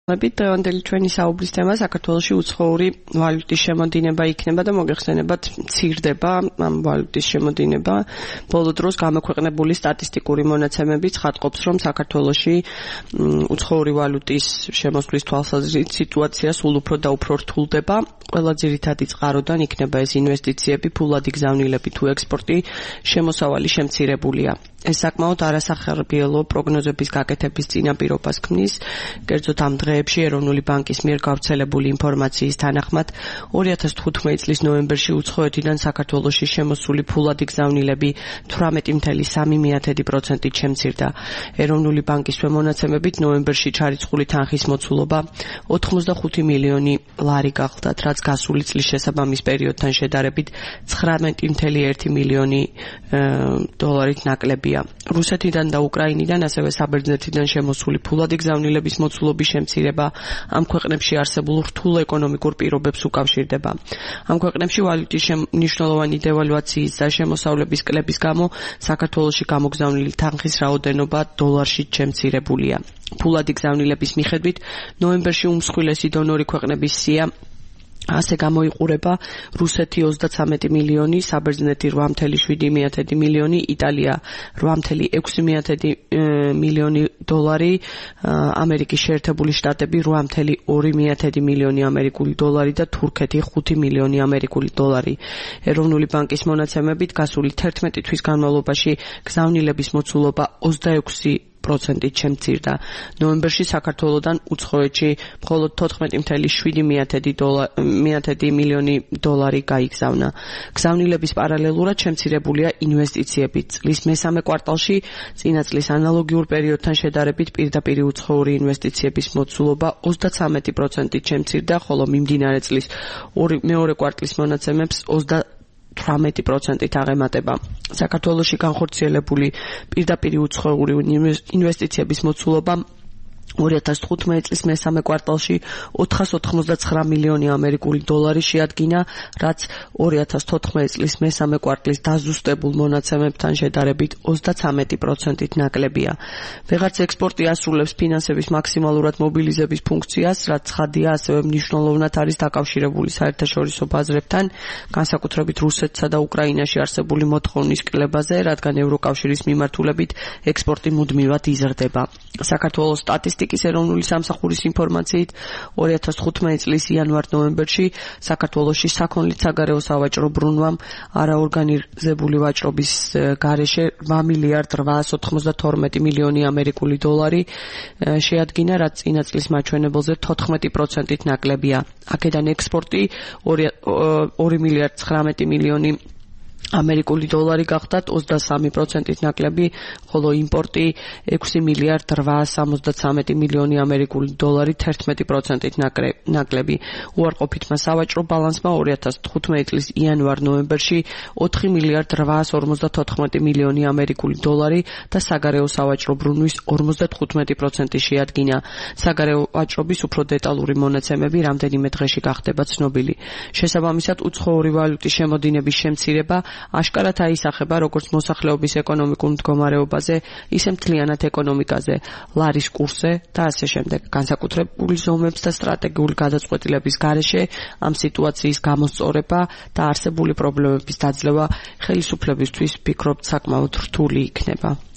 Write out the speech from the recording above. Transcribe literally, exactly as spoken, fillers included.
დღევანდელი ჩვენი საუბრის თემა საქართველოში უცხოური ვალუტის შემოდინება იქნება და მოგეხსენებათ მცირდება ამ ვალუტის შემოდინება. ბოლო დროს გამოქვეყნებული სტატისტიკური მონაცემები ცხადყოფს, რომ საქართველოში უცხოური ვალუტის შემოსვლის თვალსაზრისით სიტუაცია სულ უფრო და უფრო რთულდება. ყველა ძირითადი წყაროდან იქნება ეს ინვესტიციები, ფულადი გზავნილები თუ ექსპორტი, შემოსავალი შემცირებულია. ეს საკმაოდ არასახარბიელო პროგნოზების გაკეთების წინაპირობას ქმნის. კერძოდ ამ დღეებში ეროვნული ბანკის მიერ გავრცელებული ინფორმაციის თანახმად ორი ათას თხუთმეტი წლის ნოემბერში უცხოეთიდან საქართველოში შემოსული ფულადი გზავნილები თვრამეტი ფاصლე სამი პროცენტით შემცირდა. ეროვნული ბანკის მონაცემებით ნოემბერში ჩარიცხული თანხის მოცულობა ოთხმოცდახუთი მილიონი ლარი გახლდათ, რაც გასული წლის შესაბამის პერიოდთან შედარებით ცხრამეტი ფاصლე ერთი მილიონი დოლარით ნაკლებია. რუსეთიდან და უკრაინიდან, ასევე საბერძნეთიდან შემოსული ფულადი გზავნილების მოცულობის შემცირება ამ ქვეყნებში არსებულ რთულ ეკონომიკურ პირობებს უკავშირდება. ამ ქვეყნებში ვალუტის მნიშვნელოვანი დევალვაციის და შემოსავლების კლების გამო საქართველოში გამოგზავნილი თანხის რაოდენობა დოლარშიც შემცირებულია. ფულადი გზავნილების მიხედვით ნოემბერში უმსხვილესი დონორი ქვეყნების სია ასე გამოიყურება: რუსეთი ოცდაცამეტი მილიონი, საბერძნეთი რვა ფاصლე შვიდი მილიონი, იტალია რვა ფاصლე ექვსი მილიონი დოლარი, ამერიკის შეერთებული შტატები რვა ფاصლე ორი მილიონი ამერიკული დოლარი და თურქეთი ხუთი მილიონი ამერიკული დოლარი. ეროვნული ბანკის მონაცემებით გასული თერთმეტი თვის განმავლობაში გზავნილების მოცულობა ოცდაექვსი პროცენტით შემცირდა. ნოემბერში საქართველოდან უცხოეთში მხოლოდ თოთხმეტი ფاصლე შვიდი მილიონი დოლარი გაიგზავნა. გზავნილების პარალელურად შემცირებულია ინვესტიციები. წლის მესამე კვარტალში წინა წლის ანალოგიურ პერიოდთან შედარებით პირდაპირი უცხოური ინვესტიციების მოცულობა ოცდაცამეტი პროცენტით შემცირდა, ხოლო მიმდინარე წლის მეორე კვარტლის მონაცემებს ოცდათვრამეტი პროცენტით აღემატება. საქართველოში განხორციელებული პირდაპირი უცხოური ინვესტიციების მოცულობა ორი ათას თხუთმეტი წლის მესამე კვარტალში ოთხას ოთხმოცდაცხრა მილიონი ამერიკული დოლარი შეადგინა, რაც ორი ათას თოთხმეტი წლის მესამე კვარტლის დაზუსტებულ მონაცემებთან შედარებით ოცდაცამეტი პროცენტით ნაკლებია. ვეღარც ექსპორტი ასრულებს ფინანსების მაქსიმალურად მობილიზების ფუნქციას, რაც ცხადია, ასევე მნიშვნელოვნად არის დაკავშირებული საერთაშორისო ბაზრებთან, განსაკუთრებით რუსეთსა და უკრაინაში არსებული მოთხოვნის კლებაზე, რადგან ევროკავშირის მიმართულებით ექსპორტი მუდმივად იზრდება. საქართველოს სტატისტიკის ეროვნული სამსახურის ინფორმაციით ორი ათას თხუთმეტი წლის იანვარ-ნოემბერში საქართველოში საქონლით საგარეო სავაჭრო ბრუნვამ არაორგანიზებული ვაჭრობის გარეშე რვა მილიარდ რვაას ოთხმოცდათორმეტი მილიონი ამერიკული დოლარი შეადგინა, რაც წინა წლის მაჩვენებელზე თოთხმეტი პროცენტით ნაკლებია. აქედან ექსპორტი ორი მილიარდ ცხრამეტი მილიონი ამერიკული დოლარი გახდათ, ოცდასამი პროცენტით ნაკლები, ხოლო იმპორტი ექვსი მილიარდ რვაას სამოცდაცამეტი მილიონი ამერიკული დოლარი თერთმეტი პროცენტით ნაკლები. უარყოფითმა სავაჭრო ბალანსმა ორი ათას თხუთმეტი წლის იანვარ-ნოემბერში ოთხი მილიარდ რვაას ორმოცდათოთხმეტი მილიონი ამერიკული დოლარი და საგარეო სავაჭრო ბრუნვის ორმოცდათხუთმეტი პროცენტი შეადგინა. საგარეო ვაჭრობის უფრო დეტალური მონაცემები რამდენიმე დღეში გახდება ცნობილი. შესაბამისად, უცხოური ვალუტის შემოდინების შემცირება აშკარად აისახება როგორც მოსახლეობის ეკონომიკურ მდგომარეობაზე, ისე მთლიანად ეკონომიკაზე, ლარის კურსზე და ასე შემდეგ. განსაკუთრებული ზომებს და სტრატეგიული გადაწყვეტილების გარეშე ამ სიტუაციის გამოსწორება და არსებული პრობლემების დაძლევა ხელისუფლებისთვის, ვფიქრობთ, საკმაოდ რთული იქნება.